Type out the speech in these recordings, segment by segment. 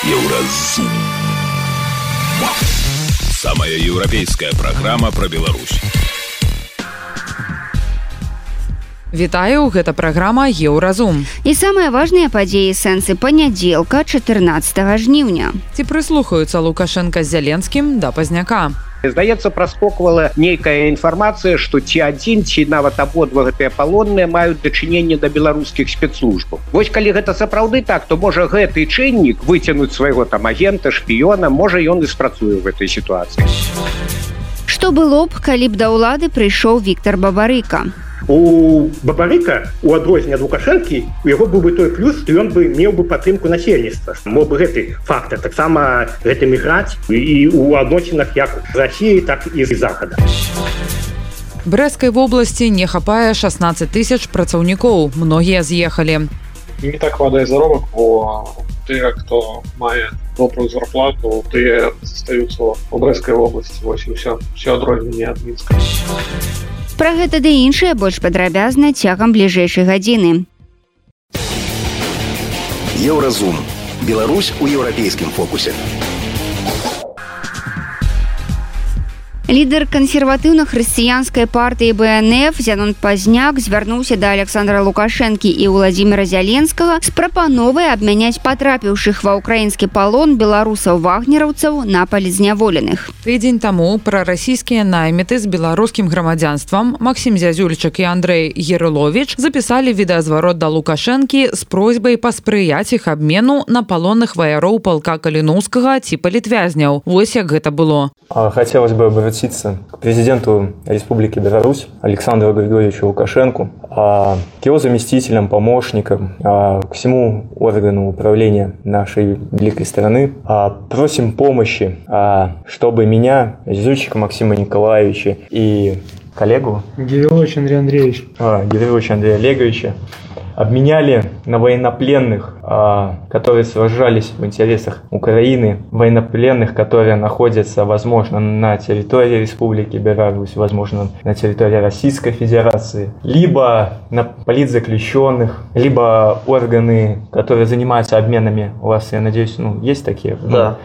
Еўразум. Самая еўрапейская праграма пра Беларусь. Вітаю, гэта праграма «Еўразум». І самыя важныя падзеі сэнсы панядзелка 14 жніўня. Ці прыслухаюцца Лукашенка з Зяленскім да Пазняка? Здаецца, праскоквала нейкая інфармацыя, што ці адзін, ці нават абодва гэтыя палонныя маюць дачыненне да беларускіх спецслужбаў. Вось калі гэта сапраўды так, то можа гэты чыннік выцягнуць свайго там агента, шпіёна, можа ён і спрацуе ў гэтай сітуацыі. Што было б, калі б да ўлады прыйшоў Віктор Бабарыка? У Бабарыка, у адрозненне ад Лукашэнкі, у яго быў бы той плюс, што ён бы меў бы падтрымку насельніцтва. Мог бы гэты фактор таксама гэтым іграць і ў адносінах як з Расіяй, так і з Захада. Брэсцкай вобласці не хапае 16 тысяч працаўнікоў. Многія з'ехалі. Не так хватае заробак, бо тыя, хто мае добрую зарплату, тыя застаюцца ў Брэсцкай вобласці. Вось і ўсё адрозненне ад Мінска. Пра гэта ды іншае больш падрабязна цягам бліжэйшай гадзіны. Еўразум. Беларусь у еўрапейскім фокусе. Лідар кансерватыўна-хрысціянскай партыі БНФ Зянон Пазняк звярнуўся да Александра Лукашэнкі і Владзіміра Зяленскага з прапановай абмяняць патрапіўшых ва ўкраінскі палон беларусаў-вагнераўцаў на палізняволеных. Тыдзень таму прарасійскія найміты з беларускім грамадзянствам Максім Зязюльчык і Андрэй Герыловіч запісалі відэазварот да Лукашэнкі з просьбай паспрыяць іх абмену на палонных ваяроў палка Каліноўскага ці палітвязняў. Вось як гэта было. Хотелось бы обратиться к президенту Республики Беларусь Александру Григорьевичу Лукашенку, к его заместителям, помощникам, к всему органу управления нашей великой страны. Просим помощи, чтобы меня, Зюзючика Максима Николаевича и коллегу Гирилович Андрей Андреевич Гириловича Андрея Олеговича обменяли на военнопленных, которые сражались в интересах Украины, военнопленных, которые находятся, возможно, на территории Республики Беларусь, возможно, на территории Российской Федерации, либо на политзаключенных, либо органы, которые занимаются обменами. У вас, я надеюсь, есть такие? Да.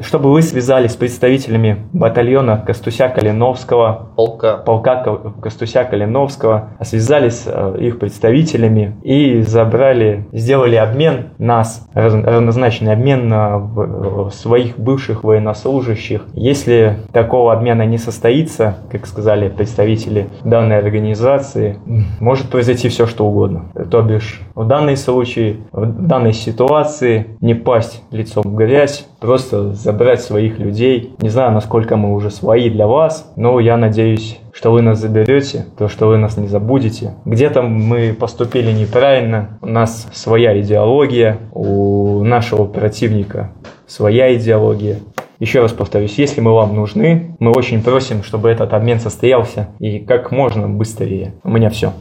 Чтобы вы связались с представителями батальона Костуся-Калиновского, полка Костуся-Калиновского, связались с их представителями и сделали обмен нас, равнозначный обмен на своих бывших военнослужащих. Если такого обмена не состоится, как сказали представители данной организации, может произойти все, что угодно. То бишь, в данном случае, в данной ситуации не пасть лицом в грязь, просто забрать своих людей. Не знаю, насколько мы уже свои для вас, но я надеюсь, что вы нас заберете, то, что вы нас не забудете. Где-то мы поступили неправильно, у нас своя идеология, у нашего противника своя идеология. Еще раз повторюсь, если мы вам нужны, мы очень просим, чтобы этот обмен состоялся и как можно быстрее. У меня все.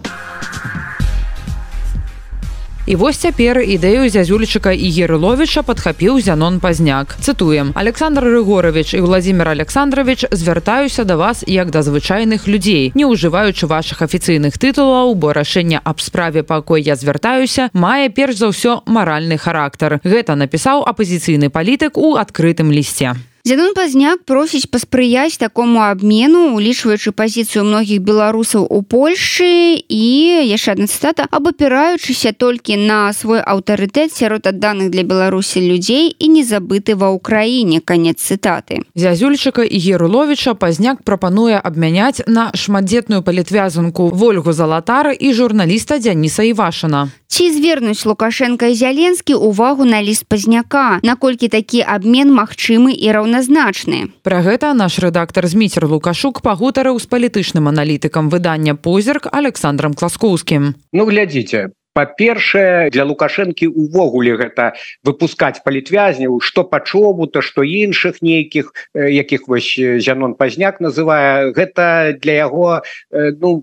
І вось цяпер ідэю Зязюльчыка і Герыловіча падхапіў Зянон Пазняк. Цытуем: «Александр Рыгорович і Владзімир Александрович, звяртаюся да вас як да звычайных людзей, не ўжываючы вашых афіцыйных тытулаў, бо рашэнне аб справе, па якой я звяртаюся, мае перш за ўсё маральны характар». Гэта напісаў апазіцыйны палітык у адкрытым лісце. Зянон Пазняк просіць паспрыяць такому абмену, улічваючы пазіцыю многіх беларусаў у Польшчы і, яшчэ адна цытата, абапіраючыся толькі на свой аўтарытэт сярод адданых для Беларусі людзей і не забыты ва ўкраіне. Канец цытаты. Зязюльчыка і Герыловіча Пазняк прапануе абмяняць на шматдзетную палітвязанку Вольгу Залатар і журналіста Дзяніса Івашына. Ці звернуць Лукашенка і Зяленскі увагу на ліст Пазняка? Наколькі такі абмен магчымы і раўназначны? Пра гэта наш рэдактар Зміцер Лукашук пагутарыў з палітычным аналітыкам выдання «Позірк» Александром Класкоўскім. Глядзіце, па-першае, для Лукашэнкі увогуле гэта выпускаць палітвязняў, што пачобута, што іншых нейкіх, якіх вось Зянон Пазняк называе, гэта для яго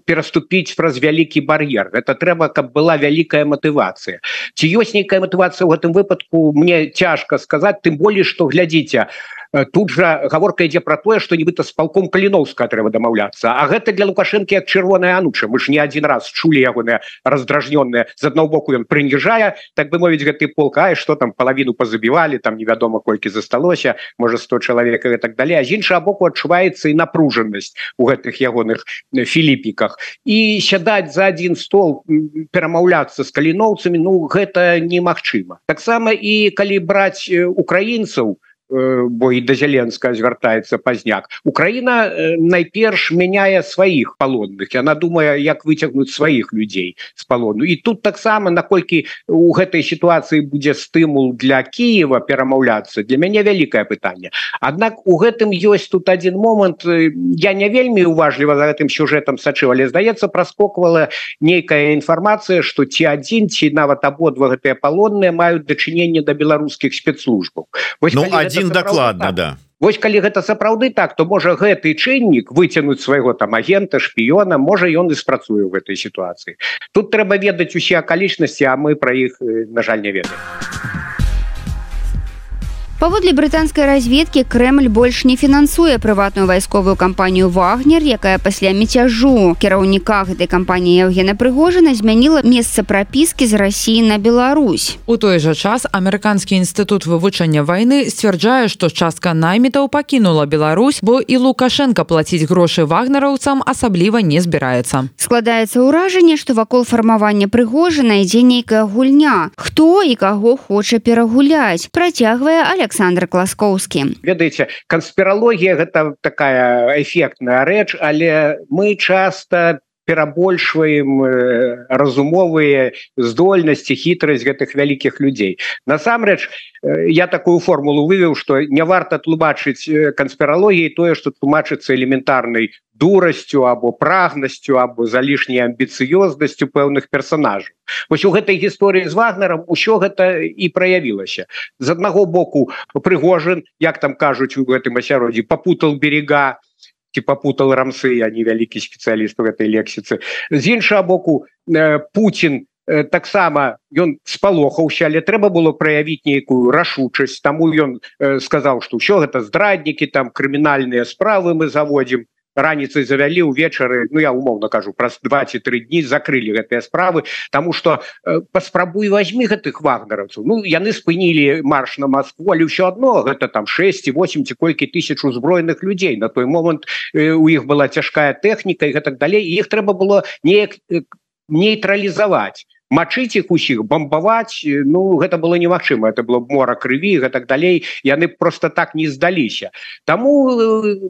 пераступіць праз вялікі бар'ер. Гэта трэба, каб была вялікая матывацыя. Ці ёсць нейкая матывацыя ў гэтым выпадку, мне цяжка сказаць, тым болей, што, глядзіце, тут жа гаворка ідзе пра тое, што нібыта з палком Каліноўска трэба дамаўляцца, а гэта для Лукашэнкі як чырвоная ануча. Мы ж не адзін раз чулі ягоныя раздражнёныя. З аднаго боку ён прыніжае, так бы мовіць, гэты полк, а што там палавіну пазабівалі, там невядома колькі засталося, можа 100 чалавек і так далей. А з іншага боку адчуваецца і напружанасць у гэтых ягоных філіпіках. І сядаць за адзін стол, перамаўляцца з каліноўцамі, ну гэта немагчыма. Таксама і калі браць украінцаў, бо і да Зеленскага звяртаецца Пазняк, Украіна найперш мяняе сваіх палонных, яна думае, як выцягнуць сваіх людзей з палону. І тут таксама, наколькі у гэтай сітуацыі будзе стымул для Кіева перамаўляцца, для мяне вялікае пытанне. Аднак у гэтым ёсць тут адзін момант, я не вельмі уважліва за гэтым сюжэтам сачыў, але, здаецца, праскоквала нейкая інфармацыя, што ці адзін, ці нават абодва гэтыя палонныя маюць дачыненне да беларускіх спецслужбаў. Один докладно, да. Вось калі гэта сапраўды так, то можа гэты чыннік выцягнуць свайго там агента, шпіёна, можа ён і спрацуе ў гэтай сітуацыі. Тут трэба ведаць усе акалічнасці, а мы пра іх, на жаль, не ведаем. Паводле брытанскай разведкі, Крэмль больш не фінансуе прыватную вайсковую кампанію «Вагнер», якая пасля міцяжу кіраўніка гэтай кампаніі Евгена Прыгожына змяніла месца прапіскі з Расіі на Беларусь. У той жа час Амерыканскі інстытут вывучэння вайны сцвярджае, што частка наймітаў пакінула Беларусь, бо і Лукашенко плаціць грошы вагнераўцам асабліва не збіраецца. Складаецца ўражанне, што вакол фармавання Прыгожына ідзе нейкая гульня. Хто і каго хоча перагуляць, працягвае Александр Класкоўскі. Ведаеце, канспіралогія гэта такая эфектная рэч, але мы часта перабольшваем разумовыя здольнасці, хітрасць гэтых вялікіх людзей. Насамрэч, я такую формулу вывеў, што не варта тлумачыць канспіралогіяй тое, што тлумачыцца элементарнай дурасцю або прагнасцю або залішняй амбіцыёзнасцю пэўных персонажаў. Вось у гэтай гісторыі з Вагнерам усё гэта і праявілася. З аднаго боку, Прыгожин, як там кажуць у гэтым асяроддзі, попутал берега, ці попутал рамсы, я не вялікі спецыяліст у гэтай лексіцы. З іншага боку, Путін таксама ён спалохаўся, але трэба было праявіць нейкую рашучасць, таму ён сказаў, што ўсё гэта здраднікі, там крымінальныя справы мы заводзім. Раніцай завялі, увечары, ну я умоўна кажу, праз 2 ці 3 дні закрылі гэтыя справы, таму што паспрабуй вазьмі гэтых вагнераўцаў. Ну, яны спынілі марш на Маскву, але ўсё адно гэта там 6 ці 8 ці колькі тысяч узброеных людзей. На той момант у іх была цяжкая тэхніка і гэтак далей, і іх трэба было неяк нейтралізаваць. Мачыць іх усіх, бамбаваць, ну, гэта было немагчыма, это было мора крыві, гэтак далей, яны просто так не здаліся. Таму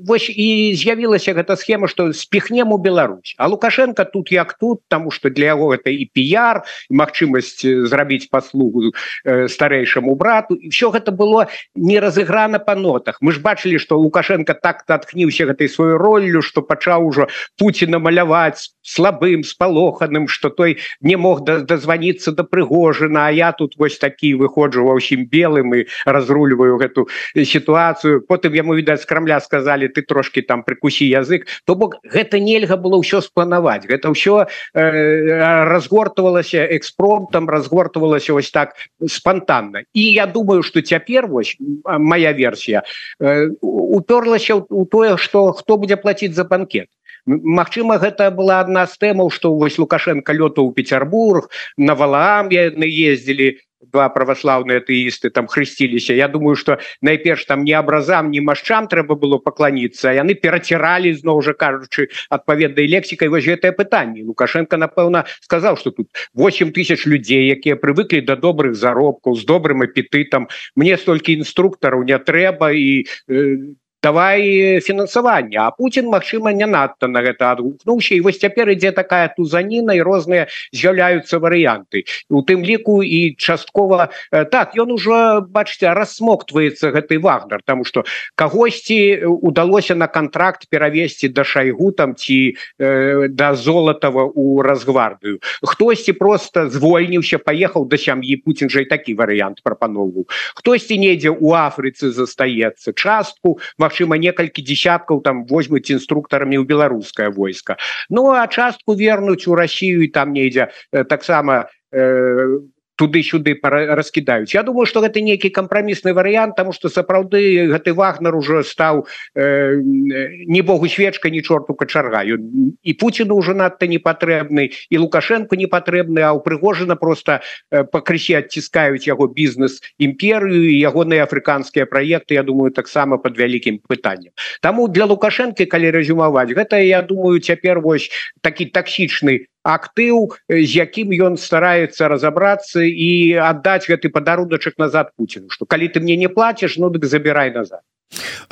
вось і з'явілася гэта схема, што спіхнем у Беларусь. А Лукашенко тут як тут, таму што для яго гэта і піяр, і магчымасць зрабіць паслугу старэйшаму брату, і ўсё гэта было не разыграна па нотах. Мы ж бачылі, што Лукашенко так натхніўся гэтай сваёй роллю, што пачаў ужо Пуціна маляваць слабым, спалоханым, што той не мог дозвониться до Прыгожина, а я тут вось такі выходжу ва ўсім белым і разрульваю гэту сітуацыю. Потым яму, відаць, з Крамля сказалі, ты трошки там прикусі язык. То бок гэта нельга было ўсё спланаваць. Гэта ўсё разгортвалася экспромтам, разгортвалася вось так спонтанна. І я думаю, што цяпер вось моя версія уперлася ў тое, што хто будзе плаціць за банкет. Магчыма, гэта была адна з тэмаў, што вось Лукашенко лётаў у Петербург, на Валаам яны ездзілі, два праваслаўныя атэісты там хрысціліся. Я думаю, што найперш там ні абразам, ні машчам трэба было пакланіцца, а яны пераціралі, зноў жа кажучы, адпаведнай лексікай вось гэтае пытанне. Лукашенко, напэўна, сказаў, што тут 8 тысяч людзей, якія прывыклі да добрых заробкаў, з добрым апетытам. Мне столькі інструктараў не трэба і давай фінансаванне. А Путін, магчыма, не надта на гэта адгукнуўся. І вось цяпер ідзе такая тузаніна, і розныя з'яўляюцца варыянты. У тым ліку і часткова... Так, ён ужо, бачыце, рассмоктваецца гэты Вагнер, таму што кагосьці удалося на кантракт перавесці да Шайгу там, ці да Золатава ў Расгвардыю. Хтосьці проста звольніўся, паехаў да сям'і. Путін жа і такі варыянт прапаноўваў. Хтосьці недзе ў Афрыцы застаецца. Частку, магчыма, некалькі дзесяткаў там возьмуць інструктарамі ў беларускае войска. Ну, а частку вернуць у Расію і там недзе таксама туды-сюды раскідаюць. Я думаю, што гэта нейкі кампрамісны варыянт, таму што сапраўды гэты Вагнер уже стаў не богу свечка, ні чорту качарга. І Пуціну ўжо надта не патрэбны, і Лукашенко не патрэбны, а ў Прыгожина просто пакрысе адціскаюць яго бізнес-імперыю і ягоныя афрыканскія праекты, я думаю, таксама пад вялікім пытаннем. Таму для Лукашенко, калі рэзюмаваць, гэта, я думаю, цяпер вось такі таксічны актыў, з якім ён стараецца разабрацца і аддаць гэты падаруначак назад Пуціну, што калі ты мне не плаціш, ну дык забірай назад.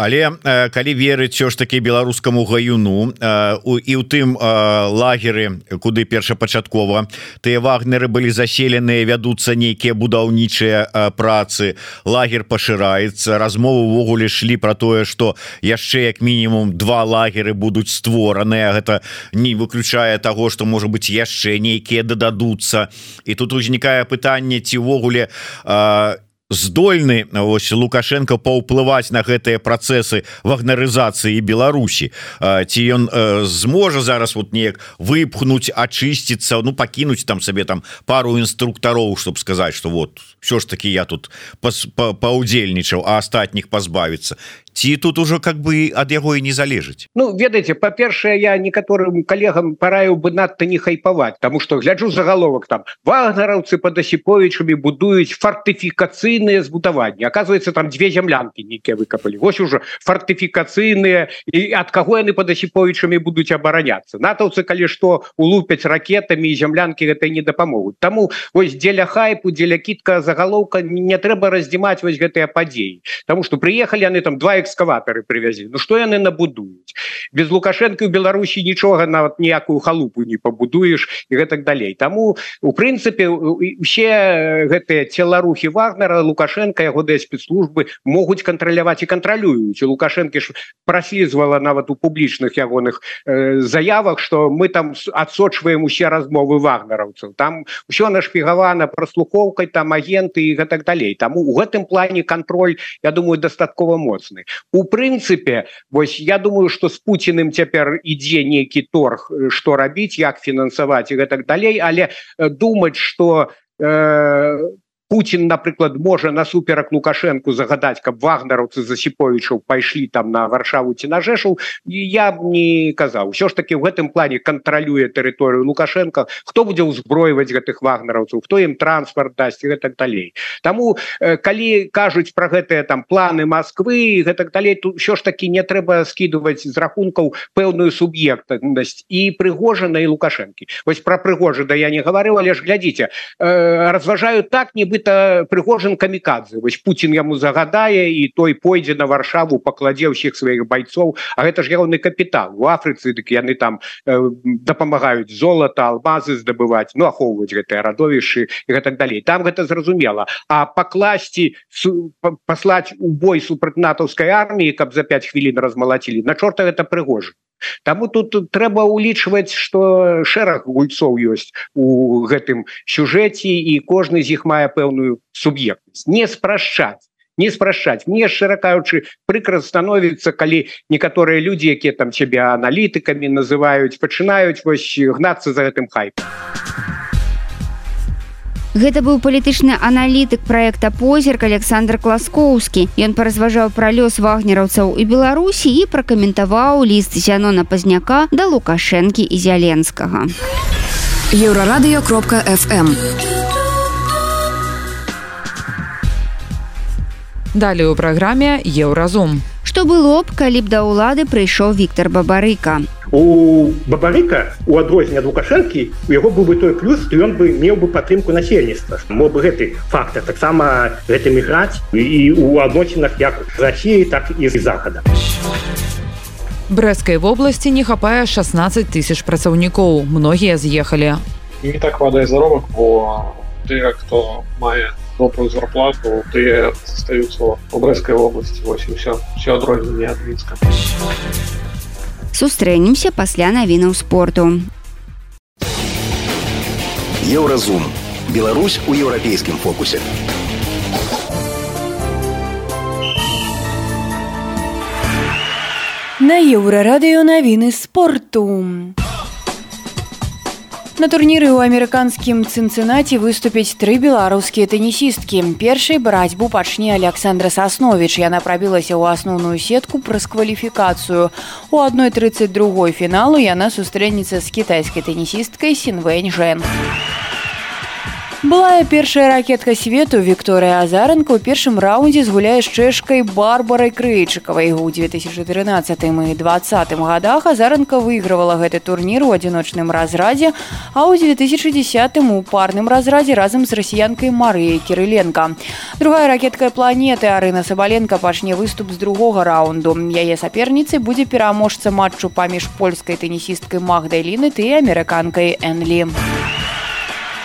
Але калі верыць ўсё ж такі беларускаму гаюну і ў тым лагеры, куды першапачаткова тыя вагнеры былі заселеныя, вядуцца нейкія будаўнічыя працы, лагер пашыраецца, размовы ўвогуле шлі пра тое, што яшчэ як мінімум 2 лагеры будуць створаныя, гэта не выключае таго, што можа быць яшчэ нейкія дададуцца. І тут узнікае пытанне, ці ўвогуле здольны ось Лукашенко паўплываць на гэтыя працэсы вагнерызацыі Беларусі, ці ён зможа зараз вот неяк выпхнуць, ачысціцца, ну пакінуць там сабе там пару інструктароў, чтобы сказаць, что вот все ж таки я тут паўдзельнічаў, а астатніх пазбавіцца. Ці тут ужо как бы ад яго і не залежыць? Ну, ведаеце, па-першае, я некаторым калегам параіў бы надта не хайпаваць, таму што гляджу загаловак там: вагнераўцы пад Асіповічамі будуюць фартыфікацыйныя збудаванні. Аказваецца, там 2 зямлянкі нейкія выкапалі. Вось ужо фартыфікацыйныя, і ад каго яны пад Асіповічамі будуць абараняцца. Натаўцы, калі што, улупяць ракетамі, і зямлянкі гэтай не дапамогуць. Таму вось дзеля хайпу, дзеля кідка загалоўка не трэба раздзімаць вось гэтыя падзеі. Таму што прыехалі яны там 2 экскаватары привязі. Ну што яны набудуюць? Без Лукашенко ў Беларусі нічога, нават ніякую халупу не пабудуеш і гэтак далей. Таму, у прынцыпе, усе гэтыя целарухі Вагнера Лукашенко, яго спецслужбы могуць кантраляваць і кантралююць. Лукашенко ж праслізвала нават у публічных ягоных заявах, што мы там адсочваем усе размовы вагнераўцаў. Там усё нашпігавана праслухоўкай, там агенты і гэтак далей. Таму у гэтым плане кантроль, я думаю, дастаткова моцны. У прынцыпе, вось я думаю, што з Пуціным цяпер ідзе нейкі торг, што рабіць, як фінансаваць і гэтак далей, але думаць, што Путін, напрыклад, можа насуперак Лукашенку загадаць, каб вагнераўцы з Асіповічаў пайшлі там на Варшаву ці на Жэшаў, я б не казаў. Усё ж таки ў гэтым плане кантралюе тэрыторыю Лукашенко, хто будзе ўзброіваць гэтых вагнераўцаў, хто ім транспарт дасць і гэтак далей. Таму, калі кажуць пра гэтыя там планы Масквы і гэтак далей, то ўсё ж таки не трэба скідываць з рахункаў пэўную суб'ектнасць і Прыгожина, і Лукашэнкі. Вось пра Прыгожина я не гаварыў, але ж глядзіце, разважаю так, нібыта Прыгожин камікадзе. Вось Путін яму загадае, і той пойдзе на Варшаву, пакладзе ўсіх сваіх байцоў, а гэта ж ягоны капітал. У Афрыцы дык яны там дапамагаюць золата, алмазы здабываць, ну ахоўваць гэтыя радовішчы і гэтак далей. Там гэта зразумела. А пакласці, паслаць у бой супраць натаўскай арміі, каб за 5 хвілін размалацілі, на чорта гэта Прыгожин. Таму тут трэба ўлічваць, што шэраг гульцоў ёсць у гэтым сюжэце, і кожны з іх мае пэўную суб'ектнасць. Не спрашчаць. Мне, шчыра кажучы, прыкра становіцца, калі некаторыя людзі, якія там цябе аналітыкамі называюць, пачынаюць вось гнацца за гэтым хайпам. Гэта быў палітычны аналітык праекта «Позірк» Александр Класкоўскі. Ён паразважаў пра лёс вагнераўцаў і Беларусі і пракаментаваў ліст Зянона Пазняка да Лукашэнкі і Зяленскага. Еўрарадыё.фм. Далее у праграме «Еўразум». Што было б, калі б да ўлады прыйшоў Віктор Бабарыка? У Бабарыка, у адрозненне ад Лукашэнкі, у яго быў бы той плюс, што ён бы меў бы падтрымку насельніцтва. Мог бы гэты фактар таксама гэтым іграць і ў адносінах як з Расіяй, так і з Захада. Брэсцкай вобласці не хапае 16 000 працаўнікоў. Многія з'ехалі. Не так хватае заробак, бо тыя, хто мае добрую зарплату, тыя застаюцца ў Брэсцкай вобласці. Вось і ўсё. Усё адрозненне ад Мінска. Сустрэнемся пасля навінаў спорту. Еўразум. Беларусь у еўрапейскім фокусе. На Еўрарадыё навіны спорту. На турніры ў амерыканскім Цінцынаці выступяць 3 беларускія тэнісісткі. Першай барацьбу пачне Александра Сасновіч. Яна прабілася ў асноўную сетку праз кваліфікацыю. У 1:32 фіналу яна сустрэнецца з кітайскай тэнісісткай Сінвэнь Жэн. Былая першая ракетка свету Вікторыя Азаранка ў першым раўндзе згуляе з чэшкай Барбарай Крэйчыкавай. У 2013 і 2020 годах Азаранка выйгравала гэты турнір у адзіночным разрадзе, а ў 2010 у парным разрадзе разам з расіянкай Марыяй Кірыленка. Другая ракетка планеты Арына Сабаленка пачне выступ з другога раунду. Яе саперніцай будзе пераможца матчу паміж польскай тэнісісткай Магдай Лінет і амерыканкай Энлі.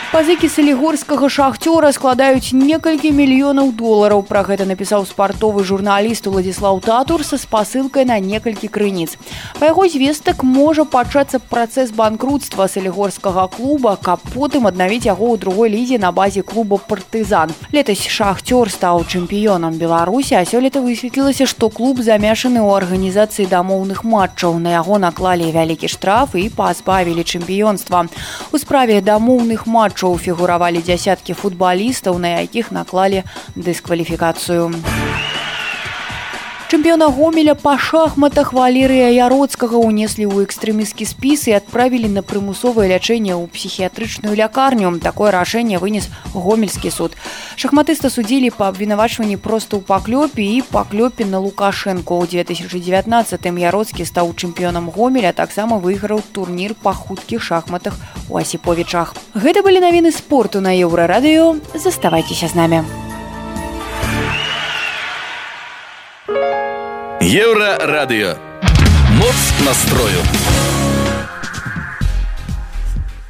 Пазыкі салігорскага шахцёра складаюць некалькі мільёнаў долараў. Пра гэта напісаў спартовы журналіст Уладзіслаў Татур са спасылкай на некалькі крыніц. Па яго звестак можа пачацца працэс банкрутства салігорскага клуба, каб потым аднавіць яго ў другой лізе на базе клуба «Партызан». Летась шахцёр стаў чэмпіёнам Беларусі, а сёлета высветлілася, што клуб замешаны ў арганізацыі дамоўных матчаў. На яго наклалі вялікі штраф і пазбавілі чэмпіёнства. У справе дамоўных матчаў фігуравалі дзясяткі футбалістаў, на якіх наклалі дыскваліфікацыю. Чэмпіёна Гомеля па шахматах Валерыя Яроцкага ўнеслі ў экстрэмісцкі спіс і адправілі на прымусовае лячэнне ў псіхіятрычную лякарню. Такое рашэнне вынес гомельскі суд. Шахматыста судзілі па абвінавачванні проста ў паклёпе і паклёпе на Лукашэнку. У 2019 Яроцкі стаў чэмпіёнам Гомеля, таксама выйграў турнір па хуткіх шахматах у Асіповічах. Гэта былі навіны спорту на Еўрарадыё. Заставайцеся з намі. Еўрарадыё. Моц настрою.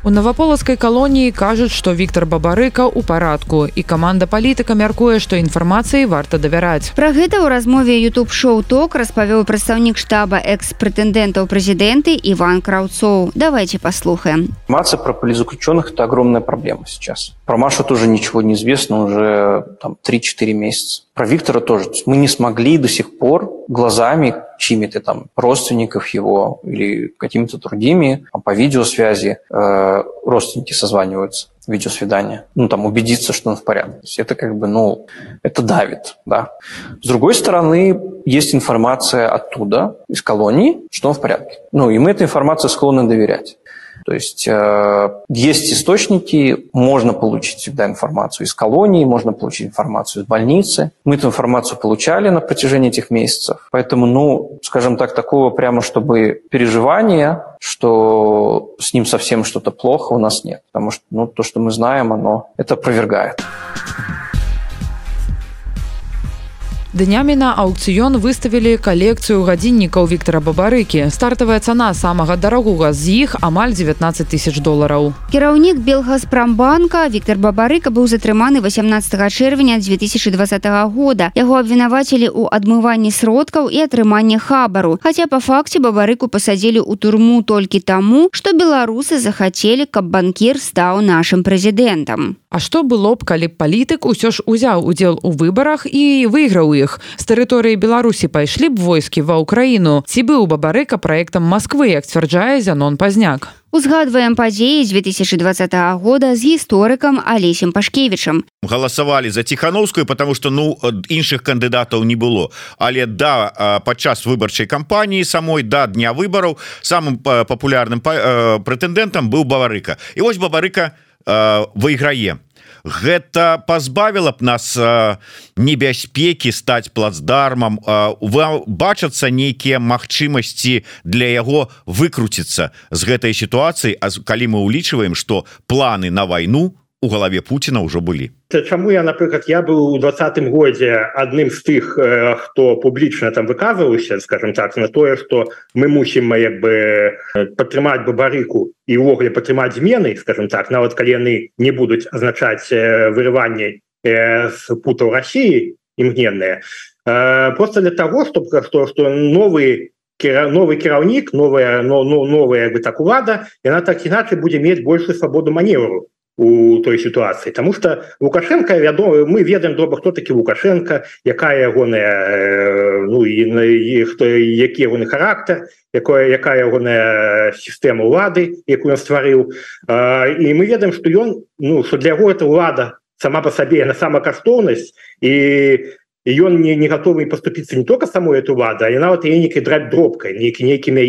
У наваполацкай калоніі кажуць, што Віктар Бабарыка ў парадку, і каманда палітыка мяркуе, што інфармацыі варта давяраць. Пра гэта ў размове YouTube-шоу «Ток» распавёў прадстаўнік штаба экс-прэтэндэнтаў прэзідэнты Іван Краўцоў. Давайте послухаем. Информация про политзаключенных – это огромная проблема сейчас. Про Машу тоже ничего не известно уже 3-4 месяца. Про Виктора тоже. Мы не смогли до сих пор глазами чьими-то там родственников его или какими-то другими по видеосвязи родственники созваниваются, видеосвидание, убедиться, что он в порядке. Это это давит, да. С другой стороны, есть информация оттуда, из колонии, что он в порядке. И мы этой информации склонны доверять. То есть есть источники, можно получить всегда информацию из колонии, можно получить информацию из больницы. Мы эту информацию получали на протяжении этих месяцев. Поэтому, скажем так, такого прямо чтобы переживания, что с ним совсем что-то плохо, у нас нет. Потому что то, что мы знаем, оно это опровергает. Днямі на аўкцыён выставілі калекцыю гадзіннікаў Віктара Бабарыкі. Стартавая цана самага дарагога з іх амаль $19 000. Кіраўнік Белгазпрамбанка Віктар Бабарыка быў затрыманы 18 чэрвеня 2020 года. Яго абвінавацілі ў адмыванні сродкаў і атрыманні хабару. Хаця па факце Бабарыку пасадзілі ў турму толькі таму, што беларусы захацелі, каб банкір стаў нашым прэзідэнтам. А што было б, калі б палітык усё ж узяў удзел у выбарах і выйграў іх? З тэрыторыі Беларусі пайшлі б войскі ва ўкраіну? Ці быў Бабарыка праектам Масквы, як сцвярджае Зянон Пазняк? Узгадваем падзеі з 2020 года з гісторыкам Алесем Пашкевічам. Галасавалі за Ціхановскую, потому што іншых кандыдатаў не было. Але падчас выбарчай кампаніі самой дня выбараў самым папулярным прэтэндэнтам быў Бабарыка. І вось Бабарыка выйграе. Гэта пазбавіла б нас небяспекі стаць плацдармам, бачацца нейкія магчымасці для яго выкруціцца з гэтай сітуацыі, калі мы ўлічваем, што планы на вайну у галаве Пуціна ўжо былі. Чаму я быў у 2020 годзе адным з тых, хто публічна там выказваўся, скажем так, на тое, што мы мусім падтрымаць Бабарыку і ўвогуле падтрымаць змены, скажем так, нават калі яны не будуць азначаць вырыванне з путаў Расіі імгненныя. Просто для того, што новы кіраўнік, новая так улада, яна так іначай будзе мець большую свабоду маневру. у той ситуации, потому что Лукашенко, мы ведаем добра, хто такі Лукашенко, якая ягоная які ягоны характар, якая ягоная сістэма ўлады, якую ён стварыў, і мы ведаем, што ён, што для яго эта ўлада сама по сабе на самакаштоўнасць, і ён не готовы поступиться не только самой эту уладу, а нават яе нейкай драць дробкай, нейкімі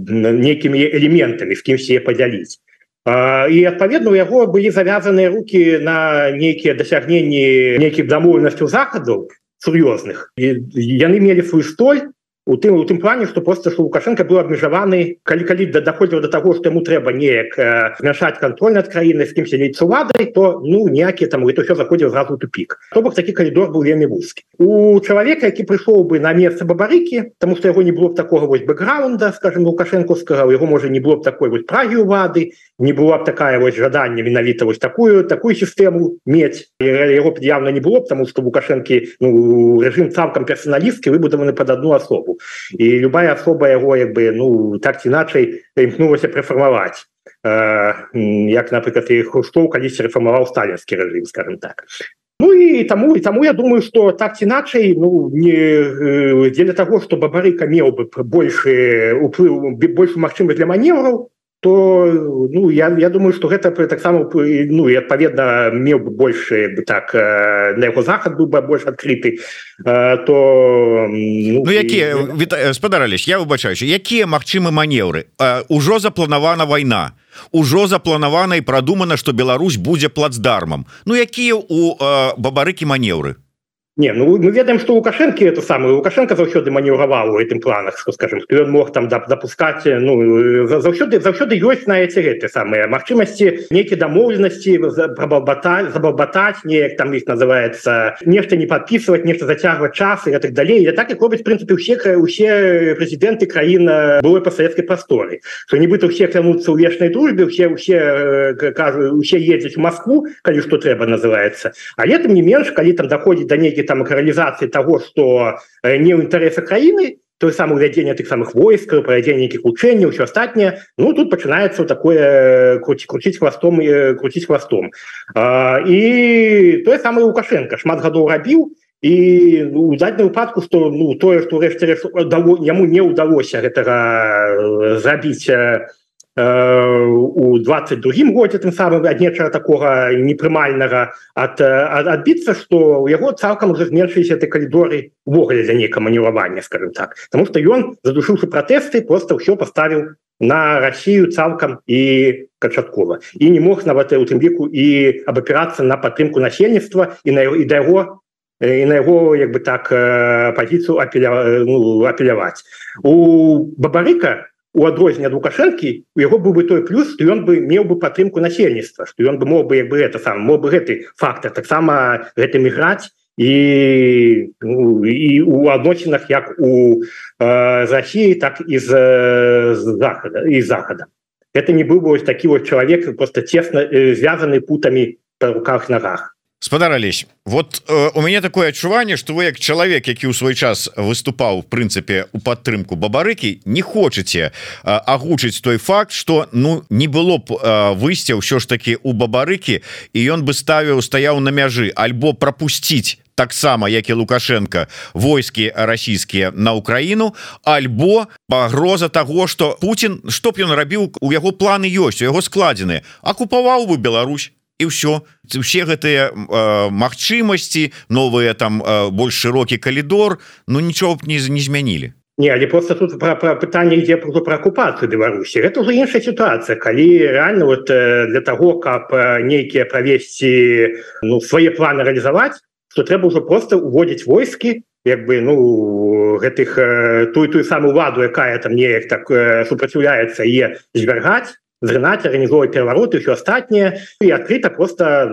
нейкімі элементамі, з кімсь яе падзяліць. І адпаведна у яго былі завязаныя рукі на нейкія дасягненні нейкіх дамоўленасцяў захадаў сур'ёзных. Яны мелі свой столь у тым плане, што просто што Лукашенко быў абмежаваны, калі даходзіў до таго, што яму трэба неяк змяншаць кантроль над краінай, з кім сядзець з уладай, то ніякія там это ўсё заходзіў зразу ў тупік. То бок такі калідор быў вельмі вузкі. У чалавека, які прыйшоў бы на месца Бабарыкі, таму што яго не было б такога вось бэкграунда, скажем, лукашэнкаўскага, у яго можа не было б такой вось прагі ўлады, не была б такая вось жаданне менавіта вось такую сістэму мець. Яго б явно не было б, таму што Лукашэнкі рэжым цалкам персаналісткі выбудаваны пад одну асобу. І любая асоба яго так ці іначай імкнулася прэфармаваць, як, напрыклад, і Хрушчоў калісьці рэфармаваў сталінскі рэжым, скажем так. І таму я думаю, што так ці іначай дзеля таго, што Бабарыка меў бы большы ўплыў, большую магчымасць для маневраў, то я думаю, што гэта таксама і адпаведна меў бы больше так на яго захад быў бы больш адкрыты, то якія спадар Алесь, я выбачаюся, якія магчымы манеўры? Ужо запланавана вайна, ужо запланавана і прадумана, што Беларусь будзе плацдармам. Якія у Бабарыкі манеўры? Не, мы ведаем, што Лукашенко это самое, Лукашенко заўсёды маневраваў у гэтым планах, што, скажем, што ён мог там дапускаць, заўсёды ёсць на гэты самыя магчымасці, нейкія дамоўленасці забалбатаць, неяк там іх называецца, нешта не падпісваць, нешта зацягваць час і так далей. І так як робяць, в прынцыпе, усе прэзідэнты краін былой пасавецкай прасторы, што нібыта ўсе клянуцца ў вечнай дружбе, усе ездзяць у Москву, калі што трэба называецца. Але тым не менш, калі там даходзіць да нейкіх там рэалізацыі таго, што не ў інтарэсах краіны, то самае ўвядзенне тых самых войскаў, правядзенне нейкіх вучэнняў, ўсё астатняе, тут пачынаецца такое круціць хвастом. І тое самае Лукашенко шмат гадоў рабіў, і у дадзеным выпадку, што тое, што ўрэшце яму не ўдалося гэтага зрабіць у 22-м годзе, тым самым ад нечага такога непрымальнага адбіцца, што ў яго цалкам уже зменшыліся ты калідоры увогуле для нейкага маневравання, скажем так. Таму што ён, задушыўшы пратэсты, проста ўсё паставіў на Расію цалкам і канчаткова. І не мог нават у тым ліку і абапірацца на падтрымку насельніцтва і на яго як бы так пазіцыю апеляваць. У Бабарыка у адрозненне ад Лукашэнкі у яго быў бы той плюс, што ён бы меў бы падтрымку насельніцтва, што ён бы мог бы мог бы гэты фактар таксама гэтым іграць і у адносінах як у Расіі, так і з захада. Гэта не быў бы ось такі вось чалавек просто цесна звязаны путамі па руках нагах. Спадар Алесь, вот у мяне такое адчуванне, што вы як чалавек, які ў свой час выступаў в прынцыпе у падтрымку Бабарыкі, не хочаце агучыць той факт, што не было б выйсця ўсё ж таки у Бабарыкі, і ён бы стаяў на мяжы, альбо прапусціць таксама, як і Лукашенко, войскі расійскія на Украіну, альбо пагроза таго, што Путін, што б ён рабіў, у яго планы ёсць, у яго складзены, акупаваў бы Беларусь. І ўсё гэтыя магчымасці, новыя там больш шырокі калідор, нічого б не змянілі. Не, але просто тут про пытанне ідзе про акупацыю Беларусі. Гэта ўжо іншая сітуацыя, калі реально для таго, каб нейкія правесці свае планы рэалізаваць, то трэба ўжо просто уводзіць войскі, як бы тую самую уладу, якая там неяк так супраціўляецца, і звяргаць, зрынаць, арганізоўваць перавароты, ўсё астатняе, і адкрыта просто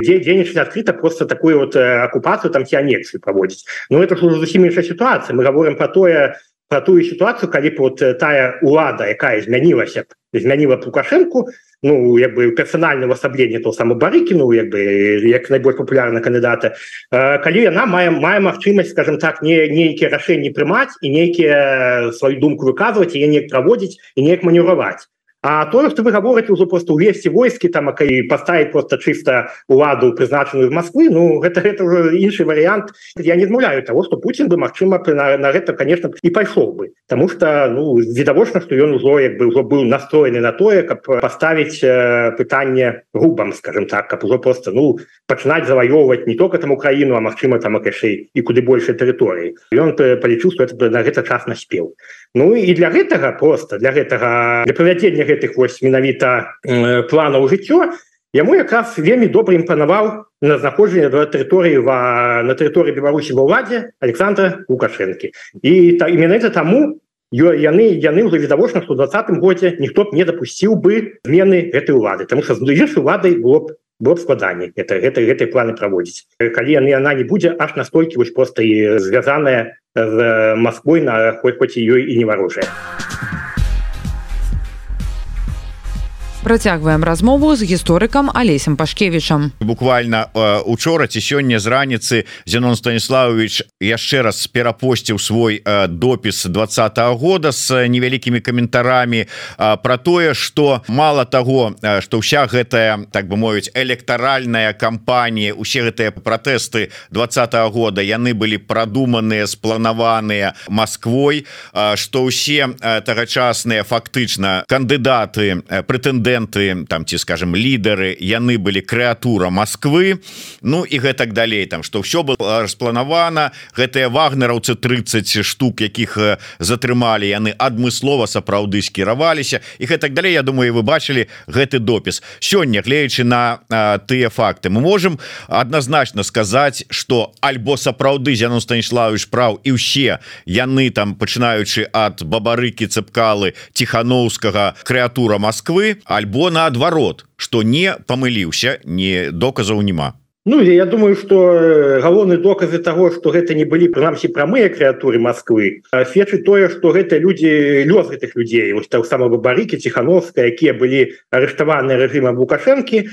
дзейнічаць адкрыта просто такую акупацыю там ці анексію праводзіць. Это ж зусім іншая сітуацыя. Мы гаворым про тую сітуацыю, калі б тая улада, якая змяніла Лукашэнку, як бы персанальне ўвасабленне того самого Бабарыкі, як найбольш папулярна кандыдата, калі яна мае магчымасць, скажем так, нейкія рашэнні прымаць і нейкія сваю думку выказваць, і неяк праводзіць і неяк маневраваць. А то, что вы говорите, уже просто увести войски там и поставить просто чисто уладу, призначенную в Москве, ну, это уже инший вариант. Я не отмовляю того, что Путин бы, максимум, на это, конечно, и пошел бы. Потому что, ну, видовочно, что он уже был настроен на то, как поставить питание рубам, скажем так, как уже просто, ну, начинать завоевывать не только там Украину, а максимум там и куда больше территорий. И он полечил, что это на этот час наспел. Ну і для гэтага просто для правядзення гэтых вось менавіта планаў жыццё яму якраз вельмі добра імпанаваў на знаходжанне на тэрыторыі Беларусі ва ўладзе Александра Лукашэнкі. І менавіта таму яны ўжо відавочна, што ў 2020 годзе ніхто б не дапусціў бы змены гэтай улады, таму што з іншай уладай было б складаней гэтай планы праводзіць. Калі яна не будзе аж настолькі вось проста і звязаная з Москвой, хоць ёй і не варожая. Працягваем размову з гісторыкам Алесем Пашкевічам. Буквально учора ці сёння з раніцы Зенон Станіславович яшчэ раз перапосціў свой допіс 2020 года з невялікімі каментарамі про тое, што мала таго, што ўся гэтая, так бы мовіць, электаральная кампанія, усе гэтыя пратэсты 2020 года яны былі прадуманыя, спланаваныя Москвой, што ўсе тагачасныя фактычна кандыдаты, прэтэндэнты, там, ці скажем, лідары, яны былі крэатура Москвы, ну і гэтак далей, там, што ўсё было распланавана, гэтыя вагнераўцы 30 штук, якіх затрымалі, яны адмыслова сапраўды скіраваліся і гэтак далей. Я думаю, вы бачылі гэты допіс. Сёння, гледзячы на тыя факты, мы можем адназначна сказаць, што альбо сапраўды Зенон Станіславович праў і ўсе яны там, пачынаючы ад Бабарыкі, Цэпкалы, Тихановскага, крэатура Москвы, альбо наадварот, што не памыліўся, не доказаў няма. Ну, я думаю, что галоўныя доказы того, что гэта не былі прынамсі прамыя крэатуры Москвы, сведчыць тое, что гэта лёс гэтых людзей, вось так само Бабарыкі, Тихановская, якія былі арыштаваныя рэжымам Лукашэнкі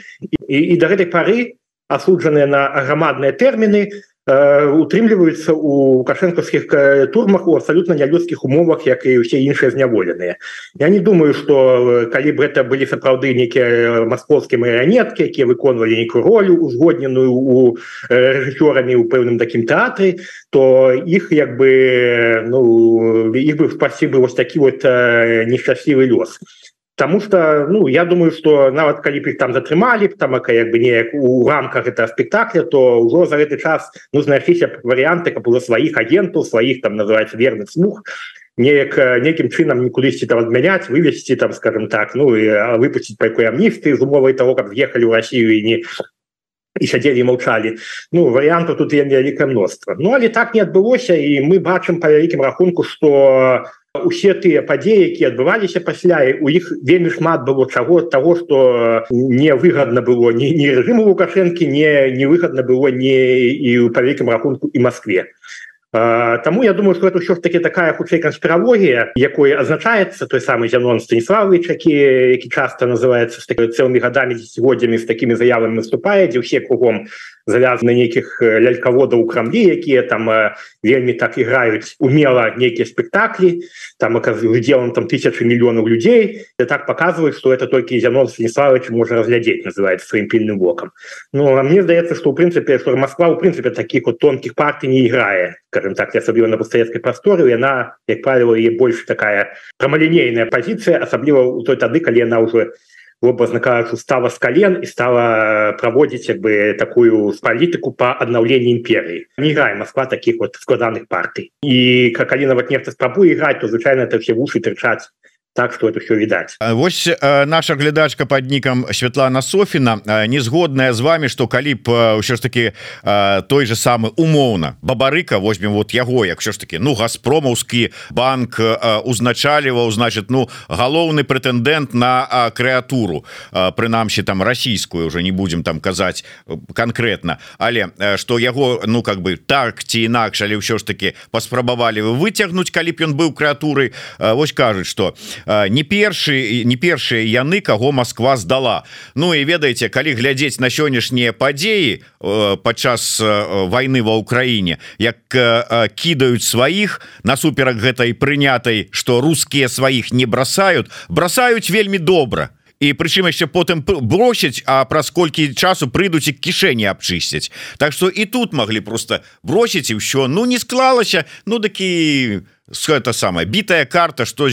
і да гэтай пары асуджаныя на грамадныя тэрміны, утрымліваюцца у лукашэнкаўскіх турмах у абсалютна нялюдскіх умовах, як і ўсе іншыя зняволеныя. Я не думаю, што калі б гэта былі сапраўды нейкія маскоўскія марыянеткі, якія выконвалі нейкую ролю узгодненую у рэжысёрамі ў пэўным такім тэатры, то іх як бы, ну, іх бы спасці бы вось такі вот нешчаслівы лёс. Потому что, ну, я думаю, что нават калі б іх там затрымалі, там як бы неяк у рамках этого спектакля, то ўжо за гэты час ну знайшліся варианты, каб было сваіх агентаў, сваіх там называется верных слуг, неким чынам кудысьці там адмяняць, вывесці там, скажем так, ну і выпусціць па якой амністыі з умовай того, каб з'ехалі ў Россию і сядзелі і маўчалі. Ну, варыянтаў тут вялікае мноства. Ну, але так не адбылося, і мы бачым па вялікім рахунку, што усе тыя падзеі, якія адбываліся пасля, у іх вельмі шмат было таго, што невыгадна было ні рэжыму Лукашэнкі, невыгадна было і па вялікім рахунку і Москве. Таму я думаю, што гэта ўсё ж таки такая хутчэй канспіралогія, якой азначаецца той самы Зенон Станіславович, які часта называецца з цэлымі гадамі, дзесяцігоддзямі з такімі заявамі выступае, дзе ўсе кругом завязаны нейкіх лялькаводаў у Крамлі, якія там вельмі так іграюць умела нейкія спектаклі, там удзелам там тысячи мільёнаў людзей, і так паказваюць, што это толькі Зенон Станіславович можа разглядзець, называецца сваім пільным вокам. Ну, а мне здаецца, што ў прынцыпе, што Москва ў прынцыпе такіх вот тонкіх партый не іграе, скажем так, асабліва на постсавецкай прасторы, яна, як правіла, є больш такая прамалінейная пазіцыя, асабліва ў той тады, калі яна ўжо образно кажучи, стала с колен и стала проводить как бы такую политику по обновлению империи. Не играет Москва таких вот складанных партий. И как Алина вот нефть спробует играть, то, звичайно, это все в уши торчать. Так что это все відаць. Вось наша глядачка под нікам Святлана Софіна не згодная з вами, што калі б ўсё ж таки той же самы умоўна Бабарыка, возьмем вот яго, як ўсё ж таки, ну, Газпромаўскі банк узначаліваў, значит, ну, галоўны прэтэндэнт на крэатуру, прынамсі там расійскую, уже не будем там казаць конкретно, але што яго, ну, как бы так ці інакш, але ўсё ж таки паспрабавалі выцягнуць, калі б ён быў крэатурай. Вось кажуць, што не першыя яны, каго Москва здала. Ну і ведаеце, калі глядзець на сённяшнія падзеі падчас вайны ва Ўкраіне, як кідаюць сваіх насуперак гэтай прынятай, што рускія сваіх не бросаюць вельмі добра. І прычым яшчэ потым бросяць, а праз колькі часу прыйдуць і кішэні абчысцяць. Так што і тут маглі просто бросіць і ўсё. Ну не склалася, ну такі гэта самая бітая карта, што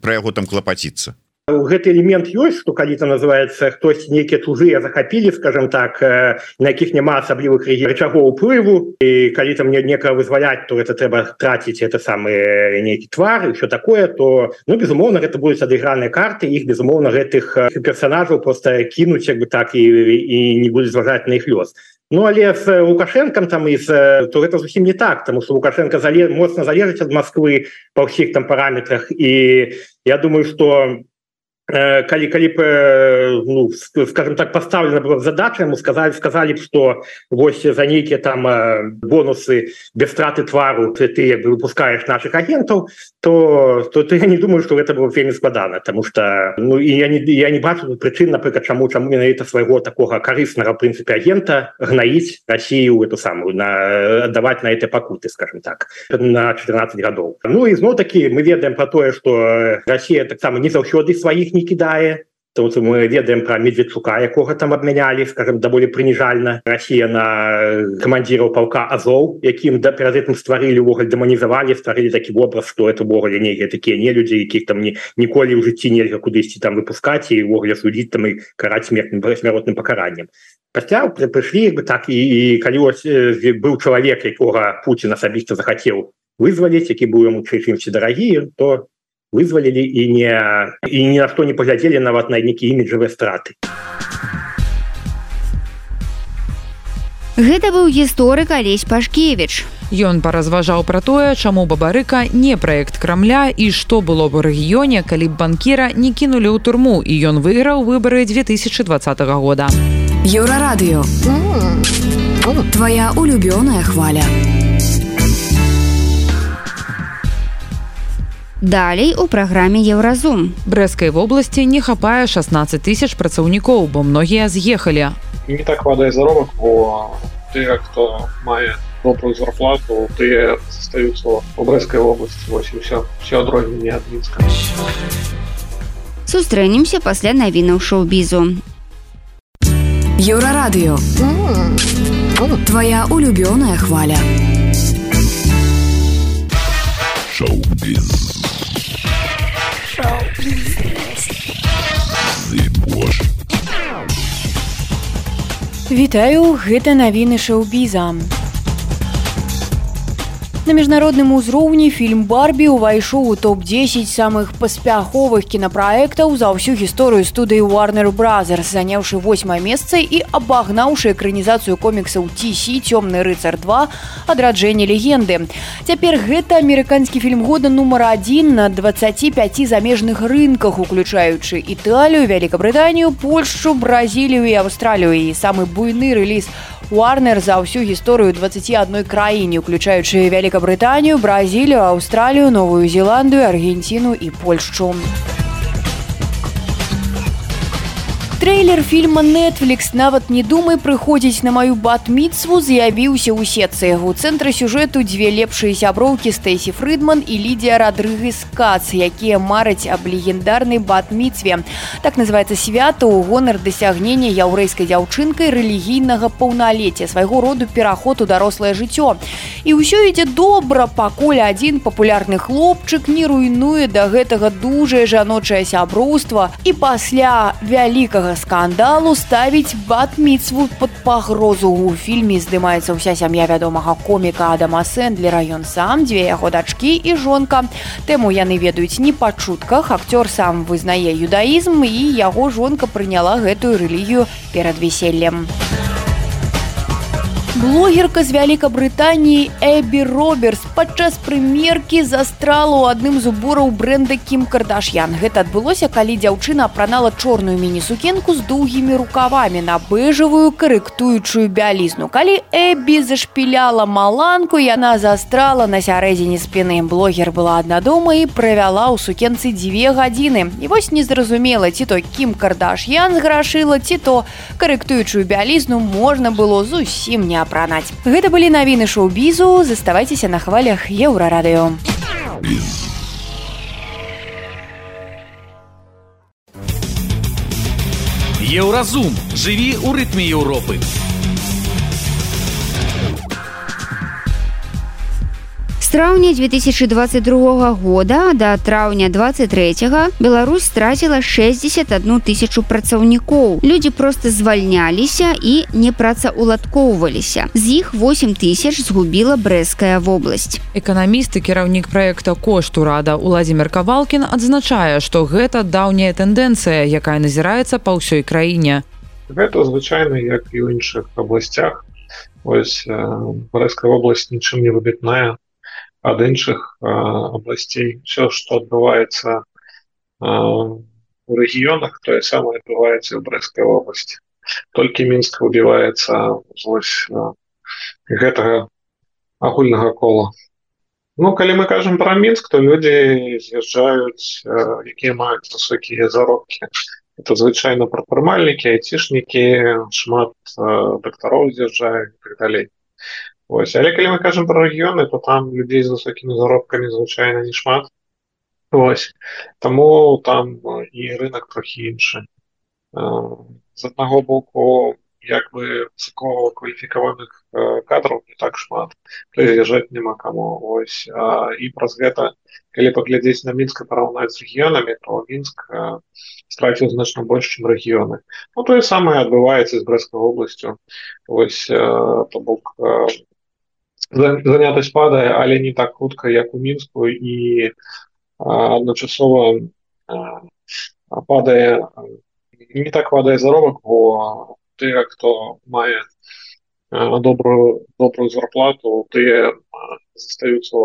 пра яго там клапаціцца. Гэты элемент ёсць, што калі там называецца хтось нейкія чужыя захапілі, скажем так, на якіх няма асаблівых рычагоў уплыву, і калі там некага вызваляць, то это трэба траціць это самы нейкі твар і ўсё такое, то ну безумоўна гэта будуць адыграныя карты, іх безумоўна гэтых персонажаў просто кінуць як бы так і не будуць зважаць на іх лёс. Ну але з Лукашенком там то гэта зусім не так, тому что Лукашенко моцна залежыць ад Москвы па ўсіх там параметрах, і я думаю, что калі б, ну, скажем так, поставлена была задача, ему сказали б, что вось за нейкія там бонусы без страты твару ты як бы выпускаешь наших агентов, то я не думаю, что это было вельмі складана, потому что ну, и я не бачу причын, например, чаму менавіта свайго такого карыснага в принципе агента гнаіць Россию эту самую, отдавать на этой пакуты, скажем так, на 14 гадоў. Ну и зноў таки мы ведаем про тое, что Россия таксама не заўсёды сваіх не кідае. То мы ведаем про Медведчука, якога там абмянялі, скажем, даволі прыніжальна. Россия на камандзіраў полка Азов, якім перад гэтым стварылі, увогуле дэманізавалі, стварылі такі вобраз, што это увогуле нейкія такія нелюдзі, якіх там ніколі ў жыцці нельга кудысьці там выпускаць і увогуле судзіць там і караць смяротным пакараннем. Пасля прыйшлі як бы так, і калі быў чалавек, якога Путін асабіста захацеў вызваліць, які быў яму чымсьці дарагі, то вызвалілі і ні на што не паглядзелі нават на нейкія іміджавыя страты. Гэта быў гісторык Алесь Пашкевіч. Ён паразважаў пра тое, чаму Бабарыка не праект Крамля і што было б у рэгіёне, калі б банкіра не кінулі ў турму і ён выйграў выбары 2020 года. Еўрарадыё. Твоя улюбёная хваля. Далей у праграме Еўразум. Брэскай вобласці не хапае 16 тысяч працаўнікоў, бо многія з'ехалі. Не так хватае заробак, бо тыя, хто мае добрую зарплату, тыя застаюцца ў Брэскай вобласці. Вось і ўсё адрозненне ад Мінска. Сустрэнемся пасля навінаў шоу-бізу. Еўрарадыё. Твоя улюбёная хваля. Шоу-біз. Вітаю, гэта навіны шоу-біза. На міжнародным узроўні фільм «Барбі» увайшоў у топ-10 самых паспяховых кінапраектаў за ўсю гісторыю студыі Warner Brothers, заняўшы 8-е месца і абагнаўшы экранізацыю коміксаў DC «Цёмны рыцар 2. Адраджэнне легенды». Цяпер гэта амерыканскі фільм года нумар 1 на 25 замежных рынках, уключаючы Італію, Вялікабрытанію, Польшчу, Бразілію і Аўстралію. І самы буйны рэліз Warner за ўсю гісторыю 21 краіне, уключаючы Вялікабрытанію, Бразілію, Аўстралію, Новую Зеландыю, Аргенціну і Польшчу. Трейлер фільма Netflix «Нават не думай прыходзіць на маю бат-міцву» з'явіўся ў сетцы. У цэнтры сюжэту дзве лепшыя сяброўкі Стэйсі Фрідман і Лідія Радрыгес Кац, якія мараць аб легендарнай бат-міцве. Так называецца свята ў гонар дасягнення яўрэйскай дзяўчынкай рэлігійнага паўналецця, свайго роду пераход у дарослае жыццё. І ўсё ідзе добра, пакуль адзін папулярны хлопчык не руйнуе да гэтага дужае жаночае сяброўства і пасля вялікага скандалу ставіць бат-міцву пад пагрозу. У фільме здымаецца ўся сям'я вядомага коміка Адама Сэндлера. Ён сам, дзве яго дачкі і жонка. Тэму яны ведаюць не па чутках. Акцёр сам вызнае юдаізм і яго жонка прыняла гэтую рэлігію перад весельем. Блогерка з Вялікабрытаніі Эбі Робертс падчас прымеркі застрала ў адным з убораў брэнда Кім Кардашьян. Гэта адбылося, калі дзяўчына апранала чорную міні-сукенку з доўгімі рукавамі на бэжавую карэктуючую бялізну. Калі Эбі зашпіляла маланку, яна застрала на сярэдзіне спіны. Блогер была адна дома і правяла ў сукенцы 2 гадзіны. І вось незразумела, ці то Кім Кардашьян зграшыла, ці то карэктуючую бялізну можна было зусім не апранаць. Гэта былі навіны шоу-бізу. Заставайцеся на хвалях Еўрарадыё. Еўразум. Жыві ў рытме Еўропы. З траўня 2022 года да траўня 23 Беларусь страціла 61 тысячу працаўнікоў. Людзі проста звальняліся і не працаўладкоўваліся. З іх 8 тысяч згубіла Брэсцкая вобласць. Эканаміст і кіраўнік праекта «Кошт урада» Уладзімір Кавалкін адзначае, што гэта даўняя тэндэнцыя, якая назіраецца па ўсёй краіне. Гэта звычайна, як і ў іншых абласцях. Вось Брэсцкая вобласць нічым не выбітная ад іншых абласцей. Все, што адбываецца у рэгіёнах, тое самае адбываецца ў Брэсцкай вобласці. Толькі Мінск выбіваецца з гэтага агульнага кола. Ну, калі мы кажам пра Мінск, то людзі з'язджаюць, якія маюць высокія заробкі. Это звычайна прадпрымальнікі, айцішнікі, шмат дактароў з'язджаюць і так далей. Ось. Але калі мы кажам пра рэгіёны, то там людзей з высокімі заробкамі звычайна не шмат. Ось. Таму там і рынок трохі іншы. З аднаго боку, як бы высокакваліфікаваных кадраў не так шмат, прыязджаць няма каму. Ось. І праз гэта, калі паглядзець на Мінск і параўнаць з рэгіёнамі, то Мінск страціў значна больш, чым рэгіёны. Ну, тое самае адбываецца з Брэсцкай вобласцю. Ось, то бок, занятасць падае, але не так хутка, як у Мінску, і адначасова падае, не так падае заробак, бо тыя, хто мае добрую зарплату, тыя застаюцца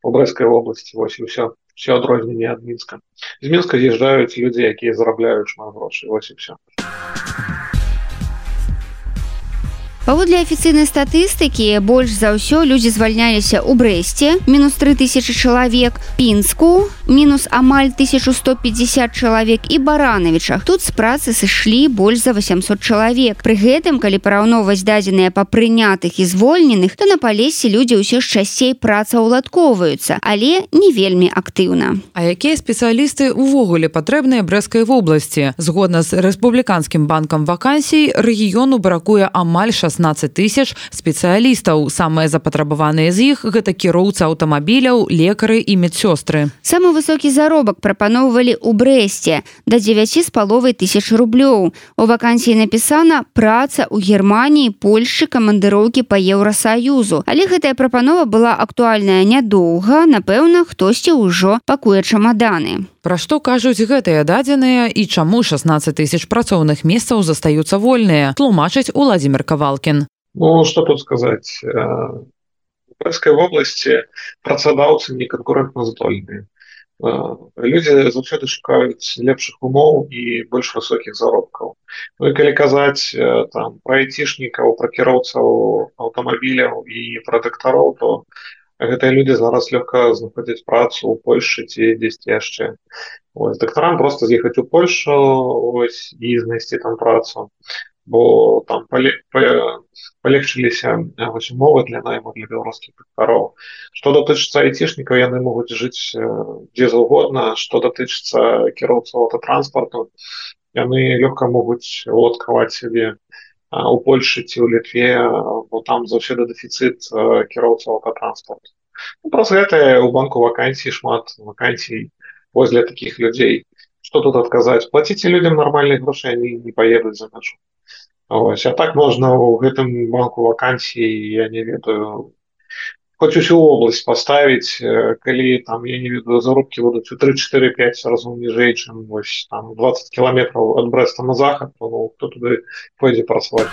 у Брэсцкай вобласці. Вось і ўсё. Все адрозненне ад Мінска. З Мінска з'язджаюць людзі, якія зарабляюць шмат грошай. Вось і ўсё. Паводле афіцыйнай статыстыкі, больш за ўсё людзі звальняліся ў Брэсце, мінус 3000 чалавек, Пінску, мінус амаль 1150 чалавек і Баранавічах. Тут з працы сышлі больш за 800 чалавек. Пры гэтым, калі параўноўваць дадзеныя па прынятых і звольненых, то на Палесе людзі ўсё ж часцей працаўладкоўваюцца, але не вельмі актыўна. А якія спецыялісты ўвогуле патрэбныя Брэсцкай вобласці? Згодна з Рэспубліканскім банкам вакансій, рэгіёну бракуе амаль 16 тысяч спецыялістаў. Самыя запатрабаваныя з іх гэта кіроўцы аўтамабіляў, лекары і медсёстры. Самы высокі заробак прапаноўвалі ў Брэсце да 9,5 тысяч рублёў. У вакансіі напісана праца ў Германіі, Польшчы, камандыроўкі па Еўрасаюзу. Але гэтая прапанова была актуальная нядоўга, напэўна, хтосьці ўжо пакуе чамаданы. Пра што кажуць гэтыя дадзеныя і чаму 16 тысяч працоўных месцаў застаюцца вольныя, тлумачыць Уладзімір Кавалкін. Ну, што тут сказаць? У Брэсцкай вобласці працадаўцы не канкурэнтназдольныя. Людзі заўсёды шукаюць лепшых умоў і больш высокіх заробкаў. Ну і калі казаць там пра айцішнікаў, пра кіроўцаў аўтамабіляў і пра дактароў, то гэтыя людзі зараз лёгка знаходзяць працу ў Польшчы ці дзесьці яшчэ. Ось, дактарам проста з'ехаць у Польшу, ось, і знайсці там працу, бо там палегчыліся умовы для найму для беларускіх дактароў. Што датычыцца айцішнікаў, яны могуць жыць дзе заўгодна. Што датычыцца кіроўцаў аўтатранспарту, яны лёгка могуць уладкаваць сябе у Польшы ці ў Літве, бо там заўсёды дэфіцыт кіроўцаў аўтатранспарту. Ну, праз гэта ў банку вакансій шмат вакансій вось для такіх людзей. Што тут адказаць? Плаціце людзям нармальных грошай, они не паедуць за мяжу. Ось, а так можна ў гэтым банку вакансій, я не ведаю, хоць усю область поставіць, калі там, я не ведаю, заробкі будуць у 3-4-5 разоў ніжэй, чым вось там 20 кіламетраў ад Брэста на захад, то ну, хто туды пойдзе працаваць.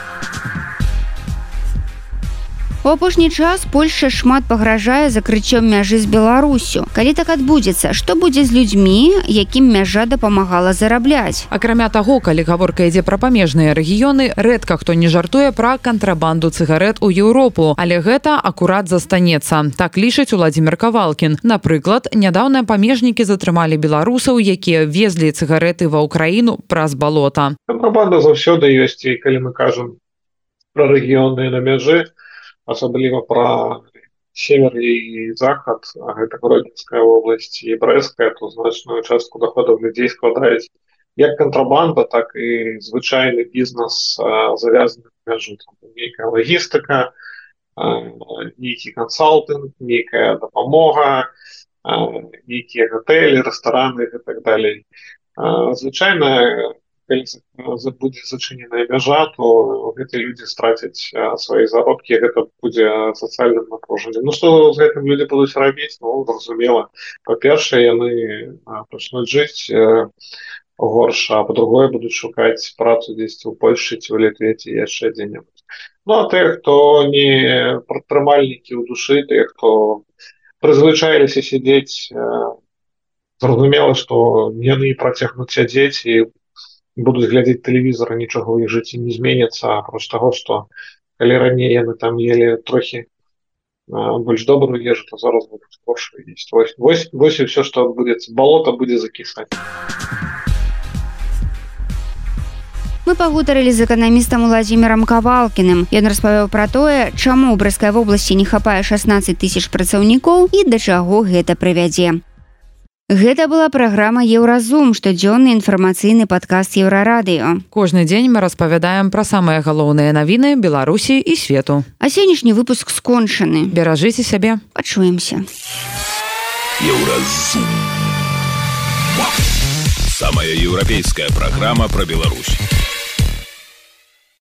У апошні час Польша шмат пагражае закрыццём мяжы з Беларусю. Калі так адбудзецца, што будзе з людзьмі, якім мяжа дапамагала зарабляць? Акрамя таго, калі гаворка ідзе пра памежныя рэгіёны, рэдка хто не жартуе пра кантрабанду цыгарэт у Еўропу, але гэта акурат застанецца. Так лічыць Уладзімір Кавалкін. Напрыклад, нядаўна памежнікі затрымалі беларусаў, якія везлі цыгарэты ва ўкраіну праз балота. Кантрабанда заўсёды ёсць, і калі мы кажам пра рэгіёны на мяжы, асабліва пра север і захад, а гэта Гродзенская вобласць і Брэская, то значную частку доходаў людзей складаюць як кантрабанда, так і звычайны бізнес, завязаны на мяжу. Нейкая лагістыка, нейкі кансалтынг, нейкая дапамога, нейкія гатэлі, рэстараны і так далей. Звычайна, калі будзе зачыненая мяжа, то гэтыя людзі страцяць свае заробкі, гэта будзе сацыяльным напружаннем. Ну, што з гэтым людзі будуць рабіць? Ну, зразумела. Па-першае, яны пачнуць жыць горш, а па-другое, будуць шукаць працу дзесьці ў Польшчы ці ў Літве ці яшчэ дзе-небудзь. Ну, а тыя, хто не прадпрымальнікі ў душы, тыя, хто прызвычаіліся сядзець, зразумела, што яны працягнуць сядзець і будуць глядзець тэлевізор, нічога ў іх жыцці не зменіцца, апроч таго, што калі раней яны там елі трохі больш добрую ежу, то зараз будуць горшую есць. Вось і ўсё, што адбудзецца. Балота будзе закісаць. Мы пагутарылі з эканамістам Уладзімірам Кавалкіным. Ён распавёў пра тое, чаму ў Брэскай вобласці не хапае 16 тысяч працаўнікоў і да чаго гэта прывядзе. Гэта была праграма «Еўразум», штодзённы інфармацыйны падкаст Еўрарадыё. Кожны дзень мы распавядаем пра самыя галоўныя навіны Беларусі і свету. А сённяшні выпуск скончаны. Беражыце сябе. Пачуемся. Еўразум. Самая еўрапейская праграма пра Беларусь.